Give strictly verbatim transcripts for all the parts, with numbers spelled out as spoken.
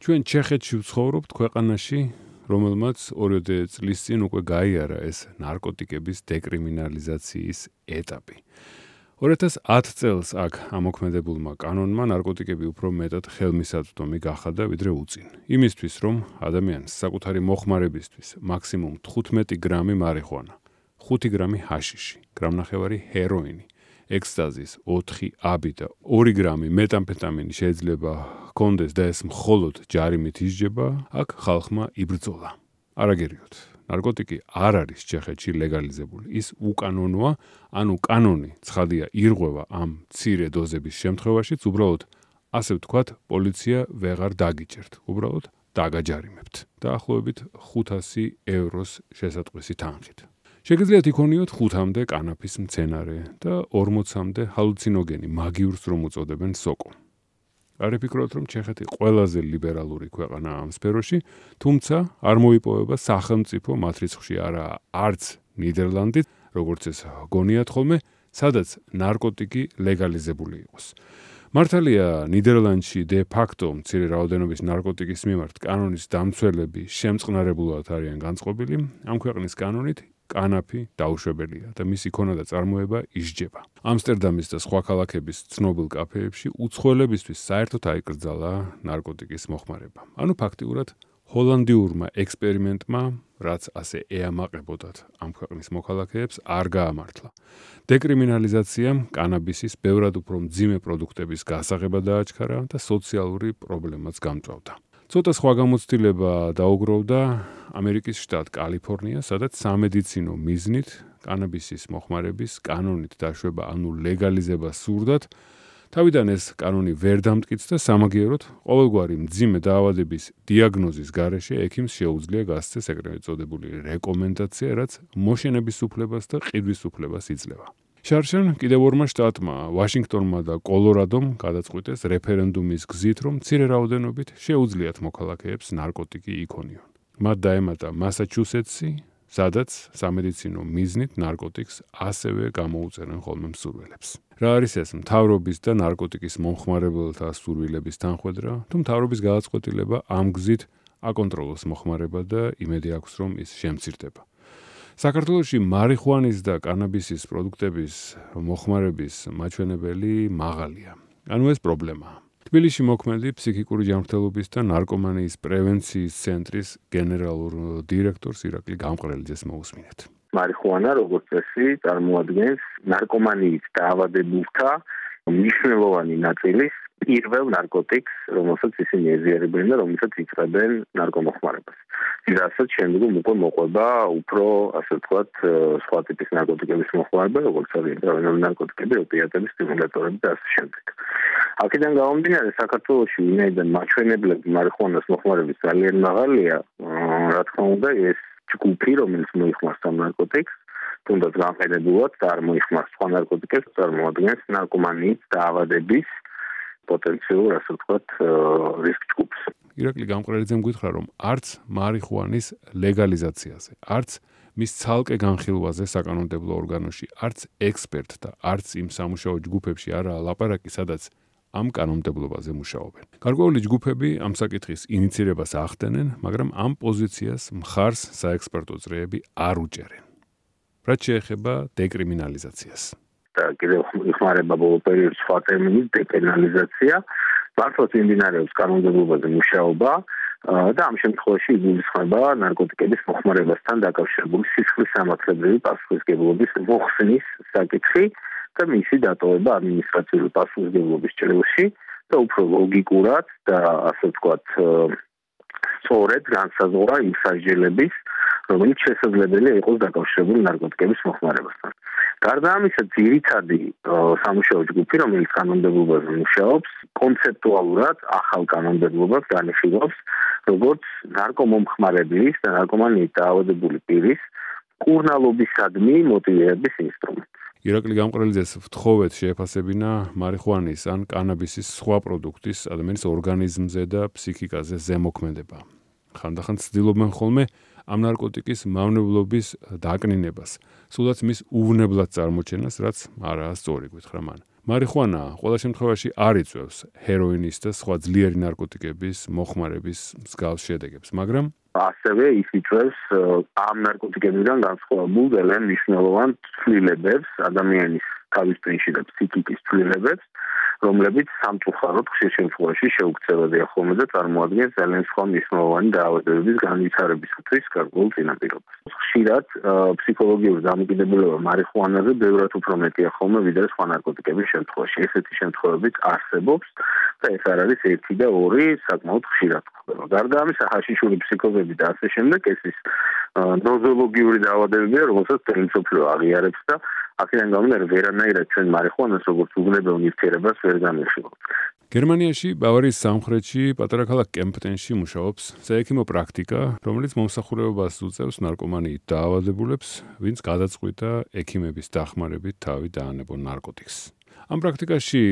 ჩვენ ჩეხეთში ვცხოვრობთ ქვეყანაში, რომელმაც ორიოდე წლის წინ უკვე გაიარა ეს ნარკოტიკების დეკრიმინალიზაციის ეტაპი. ორი ათას ათ წელს აქ ამოქმედებულმა კანონმა ნარკოტიკები უფრო მეტად ხელმისაწვდომი გახადა ვიდრე უწინ. იმისთვის, რომ ადამიანს საკუთარი მოხმარებისთვის მაქსიმუმ თხუთმეტი გრამი მარიხუანა, ხუთი გრამი ჰაშიში, გრამნახევარი ჰეროინი, ექსტაზის ოთხი აბი და ორი გრამი მეტამფეტამინი შეიძლება ჰქონდეს და ეს მხოლოდ ჯარიმით ისჯება, აქ ხალხმა იბრძოლა. არაგერიოთ. ნარკოტიკი არ არის ჩეხეთში ლეგალიზებული. ის უკანონოა, ანუ კანონი ცხადია ირღვევა ამ მცირე დოზების შემთხვევაშიც, უბრალოდ ასე ვთქვათ, პოლიცია ვეღარ დაგიჭერთ, უბრალოდ დაგაჯარიმებთ. დაახლოებით ხუთასი ევროს შესატყვისი თანხით. შეგიძლიათ იქონიოთ ხუთამდე კანაფის მცენარე და ორმოცამდე ჰალუცინოგენი, მაგიურს რომ უწოდებენ სოკო. არ ვფიქრობთ, რომ ჩეხეთი ყველაზე ლიბერალური ქვეყანაა ამ სფეროში, თუმცა არ მოიპოვება სახელმწიფო მათ რიცხვში არა არც ნიდერლანდით, როგორც ეს გონიათ ხოლმე, სადაც ნარკოტიკი ლეგალიზებული იყოს. მართალია ნიდერლანდში დე ფაქტო მცირე რაოდენობის ნარკოტიკის მიმართ კანონის დამცველები შემწყნარებულად არიან განწყობილი, ამ ქვეყნის კანონით კანაფი დაუშვებელია და მისი ქონა და წარმოება ისჯება. ამსტერდამის და სხვა ქალაქების ცნობილ კაფეებში უცხოელებისთვის საერთოდ აიკრძალა ნარკოტიკის მოხმარება. ანუ ფაქტიურად ჰოლანდიურმა ექსპერიმენტმა, რაც ასე ეამაყებოდათ ამ ქვეყნის მოქალაქეებს, არ გაამართლა. დეკრიმინალიზაციამ კანაბისის ბევრად უფრო მძიმე პროდუქტების გასაღება დააჩქარა და სოციალური პრობლემაც გამწვავდა. ცოტა სხვა გამოცდილება დაუგროვდა ამერიკის შტატ კალიფორნია, სადაც სამედიცინო მიზნით კანაბისის მოხმარების კანონით დაშვება, ანუ ლეგალიზება სურდათ. თავიდან ეს კანონი ვერ დამტკიცდა სამაგიეროდ, ყოველგვარი მძიმე დაავადების დიაგნოზის გარეშე ექიმს შეუძლია გასცეს ეგრევე წოდებული რეკომენდაცია, რაც მოშენების უფლებას და ყიდვის უფლებას იძლევა. შარშან კიდევ ორმა შტატმა, ვაშინგტონმა და კოლორადომ გადაწყვიტეს რეფერენდუმის გზით, რომ მცირე რაოდენობით შეუძლიათ მოქალაქეებს ნარკოტიკი იქონიონ. მათ დაემატა მასაჩუსეტსი, სადაც სამედიცინო მიზნით ნარკოტიკს ასევე გამოუწერენ ხოლმე მსურველებს. რა არის ეს მთავრობის და ნარკოტიკის მომხმარებელთა სურვილების თანხვედრა, თუ მთავრობის გადაწყვეტილება ამ გზით აკონტროლოს მოხმარება და იმედი აქვს, რომ ის შემცირდება. საქართველოში მარიხუანის და კანაბისის პროდუქტების მოხმარების მაჩვენებელი მაღალია. ანუ ეს პრობლემაა. თბილისში მოქმედი ფსიქიკური ჯანმრთელობის და ნარკომანიის პრევენციის ცენტრის გენერალურ დირექტორს ირაკლი გამყრელიძეს მოусმინეთ. მარიხუანა, როგორც წესი, წარმოადგენს ნარკომანიის დაავადებულთა მნიშვნელოვანი ნაწილის პირველ ნარკოტიკს, რომელსაც ისინი ეზიარებენ და რომელსაც იწყებენ ნარკომოხმარებას. რასაც შემდგომ უკვე მოყვება უფრო, ასე ვთქვათ, სხვა ტიპის ნარკოტიკების მოხმარება, როგორც არის ტრანზიტული ნარკოტიკები, ოპიატები, სტიმულატორები და ასე შემდეგ. აქედან გამომდინარე, საქართველოში ვინაიდან მაჩვენებლები მარიხუანას მოხმარების ძალიან მაღალია, რა თქმა უნდა, ეს ჯგუფი, რომელიც მოიხმარს ამ ნარკოტიკს, თუნდაც განხეთებულად და არ მოიხმარს სხვა ნარკოტიკებს, წარმოადგენს ნარკომანიის დაავადების პოტენციურ, ასე ვთქვათ, რისკ ჯგუფს. ირაკლი გამყრელიძემ გითხრა, რომ არც მარიხუანის ლეგალიზაციაზე, არც მის ცალკე განხილვაზე საკანონმდებლო ორგანოში, არც ექსპერტთა, არც იმ სამუშაო ჯგუფებში არაა ლაპარაკი, სადაც ამ კანონმდებლობაზე მუშაობენ. გარკვეული ჯგუფები ამ საკითხის ინიცირებას ახდენენ, მაგრამ ამ პოზიციას მხარს საექსპერტო წრეები არ უჭერენ. რაც შეეხება დეკრიმინალიზაციას. და კიდევ იხმარება ბოლო პერიოდში სხვა ტერმინით დეპენალიზაცია. მართლაც მიმდინარეობს კანონმდებლობაზე მუშაობა და ამ შემთხვევაში იგულისხმება ნარკოტიკების მოხმარებასთან დაკავშირებული სისხლის სამართლებრივი პასუხისმგებლობის მოხსნის საკითხი და მისი დატოვება ადმინისტრაციული პასუხისმგებლობის ჭრილში და უფრო ლოგიკურად და ასე ვთქვათ სწორედ განსაზღვრა იმ სასჯელების, რომელიც შესაძლებელია იყოს დაკავშირებული ნარკოტიკების მოხმარებასთან. გარდა ამისა, ძირითადი სამუშაო ჯგუფი, რომელიც კანონმდებლობაზე მუშაობს, კონცეპტუალურად ახალ კანონმდებლობას განიხილავს, როგორც ნარკომომხმარებლის და ნარკომანიით დაავადებული პირის მკურნალობისადმი მოტივირების ინსტრუმენტი. ირაკლი გამყრელიძეს ვთხოვეთ შეეფასებინა მარიხუანის ან კანაბისის სხვა პროდუქტის ადამიანის ორგანიზმზე და ფსიქიკაზე ზემოქმედება. ხანდახან ცდილობენ ხოლმე ამ ნარკოტიკის მავნებლობის დაკნინებას, სულაც მის უვნებლად წარმოჩენას, რაც არაა სწორი, გითხრა მან. მარიხუანა ყველა შემთხვევაში არ იწვევს ჰეროინის და სხვა ძლიერი ნარკოტიკების მოხმარების მსგავს შედეგებს, მაგრამ ასევე ის იწვევს ამ ნარკოტიკებიდან განსხვავებულ ძალიან მნიშვნელოვან ცვლილებებს ადამიანის თავის ტვინში და ფსიქიკის ცვლილებებს, რომლებიც სამწუხაროდ ხშირ შემთხვევაში შეუქცევადია ხოლმე და წარმოადგენს ძალიან სხვა მნიშვნელოვანი დაავადებების განვითარებისათვის გარკვეულ წინაპირობას. ხშირად ფსიქოლოგიური დამოკიდებულება მარიხუანაზე ბევრად უფრო მეტია ხოლმე ვიდრე სხვა ნარკოტიკების შემთხვევაში. ესეთი შემთხვევებიც არსებობს და ეს არ არის ერთი და ორი, საკმაოდ ხშირად ხდება. გარდა ამისა, ჰაშიშური ფსიქოზები და ასე შემდეგ, ეს ის ნოზოლოგიური დაავადებებია, რომელსაც მთელი მსოფლიო აღიარებს და აქედან გამომდინარე ვერანაირად ჩვენ მარიხუანას როგორც უგნებელ ნივთიერებას ვერ განვიხილავთ. გერმანიაში, ბავარიის სამხრეთში, პატარა ქალაქ კემპტენში მუშაობს საექიმო პრაქტიკა, რომელიც მომსახურებას უწევს ნარკომანიით დაავადებულებს, ვინც გადაწყვიტა ექიმების დახმარებით თავი დაანებონ ნარკოტიკს. ამ პრაქტიკაში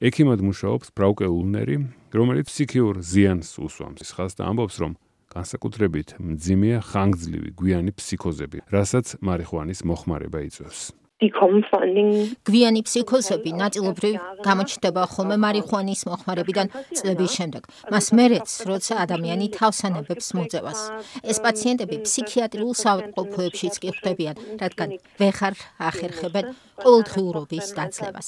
ექიმად მუშაობს ბრაუკე ულნერი, რომელიც ფსიქიურ ზიანს უსვამს. ხალხს და ამბობს, რომ განსაკუთრებით მძიმეა ხანგრძლივი გვიანი ფსიქოზები, რასაც მარიხუანის მოხმარება იწვევს. გვიანი ფსიქოზები ნაწილობრივ გამოჩნდება ხოლმე მარიხუანის მოხმარებიდან წლების შემდეგ. მას მერეც, როცა ადამიანი თავს ანებებს მოძევას. ეს პაციენტები ფსიქიატრიულ საავადმყოფოებშიც კი ხვდებიან, რადგან ვეღარ ახერხებენ ყოველდღიურობის დაძლევას.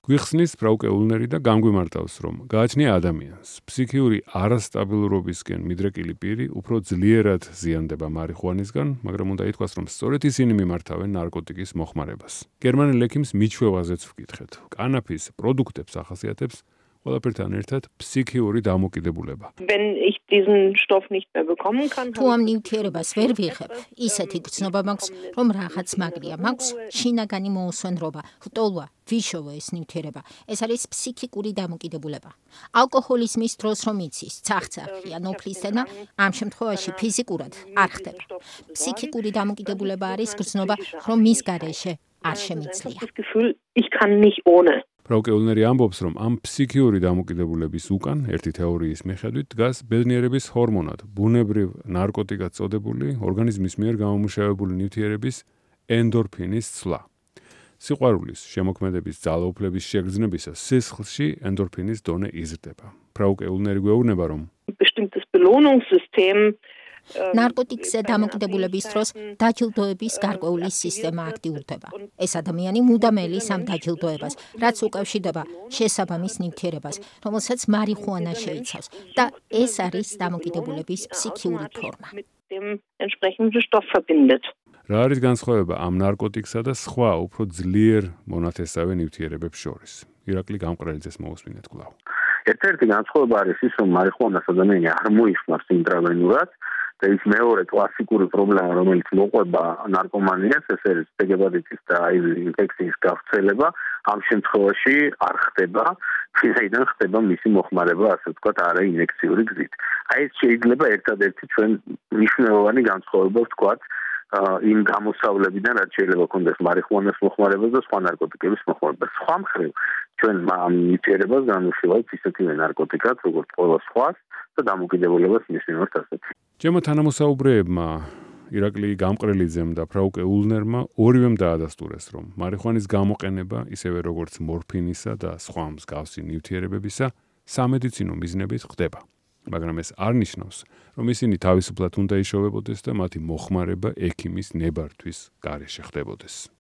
გვიხსნის ბრაუკე ულნერი და განგვიმარტავს, რომ გააჩნია ადამიანს ფსიქიური არასტაბილურობისკენ მიდრეკილი პირი უფრო ძლიერად ზიანდება მარიხუანისგან, მაგრამ უნდა ითქვას, რომ სწორედ ისინი მიმართავენ ნარკოტიკის მოხმარებას. გერმანელ ექიმს მიჩვევაზეც ვკითხეთ. კანაფის პროდუქტებს ახასიათებს ყველაფერთან ერთად ფსიქიური დამოკიდებულება. თუ ამ ნივთიერებას ვერ ვიღებ, ისეთი გრძნობა მაქვს, რომ რაღაც მაგრია, მაქვს შინაგანი მოუსვენრობა, ლტოლვა, ვიშოვო ეს ნივთიერება. ეს არის ფსიქიკური დამოკიდებულება. ალკოჰოლიზმის დროს რომ იცის, ცახცახი ან ოფლისენა, ამ შემთხვევაში ფიზიკურად არ ხდება. ფსიქიკური დამოკიდებულება არის გრძნობა, რომ მის გარეშე არ შემიძლია. ბრაუკე ულნერი ამბობს, რომ ამ ფსიქიური დამოკიდებულების უკან, ერთი თეორიის მიხედვით, დგას ბედნიერების ჰორმონად, ბუნებრივ ნარკოტიკად წოდებული, ორგანიზმის მიერ გამომუშავებული ნივთიერების ენდორფინის ცვლა. სიყვარულის, შემოქმედების ძალაუფლების შეგრძნებისას სისხლში ენდორფინის დონე იზრდება. ბრაუკე ულნერი გვეუბნება, რომ ნარკოტიკზე დამოკიდებულების დროს დაჯილდოების გარკვეული სისტემა აქტიურდება. ეს ადამიანი მუდამ ელის ამ დაჯილდოებას, რაც უკავშირდება შესაბამის ნივთიერებას, რომელსაც მარიხუანა შეიცავს და ეს არის დამოკიდებულების ფსიქიური ფორმა. რა არის განსხვავება ამ ნარკოტიკსა და სხვა უფრო ძლიერ მონათესავე ნივთიერებებს შორის? ირაკლი გამყრელიძეს მოусმინეთ კვლავ. ერთ-ერთი განსხვავება არის ის, რომ მარიხუანას ადამიანი არ მოიხმარს ინტრავენურად და ის მეორე კლასიკური პრობლემა, რომელიც მოყვება ნარკომანიას, ეს არის ჰეპატიტის და ინფექციის გავრცელება, ამ შემთხვევაში არ ხდება, ვინაიდან ხდება მისი მოხმარება, ასე ვთქვათ, არაინექციური გზით. აი ეს შეიძლება ერთადერთი ჩვენ მნიშვნელოვანი განსხვავება ვთქვათ იმ გამოსავლებიდან, რაც შეიძლება ქონდეს მარიხუანას მოხმარებას და სხვა ნარკოტიკების მოხმარებას. სხვა მხრივ, ჩვენ ამ ნივთიერებას განვიხილავთ ისეთივე ნარკოტიკად, როგორც ყველა სხვას და დამოკიდებულებას მის მიმართ ასეთ. ჩემო თანამოსაუბრეებმა ირაკლი გამყრელიძემ და ბრაუკე ულნერმა ორივემ დაადასტურეს, რომ მარიხუანის გამოყენება, ისევე როგორც მორფინისა და სხვა მსგავსი ნივთიერებებისა, სამედიცინო მიზნებით ხდება. მაგრამ ეს არ ნიშნავს, რომ ისინი თავისუფლად უნდა იშოვებოდეს და მათი მოხმარება ექიმის ნებართვის გარეშე ხდებოდეს.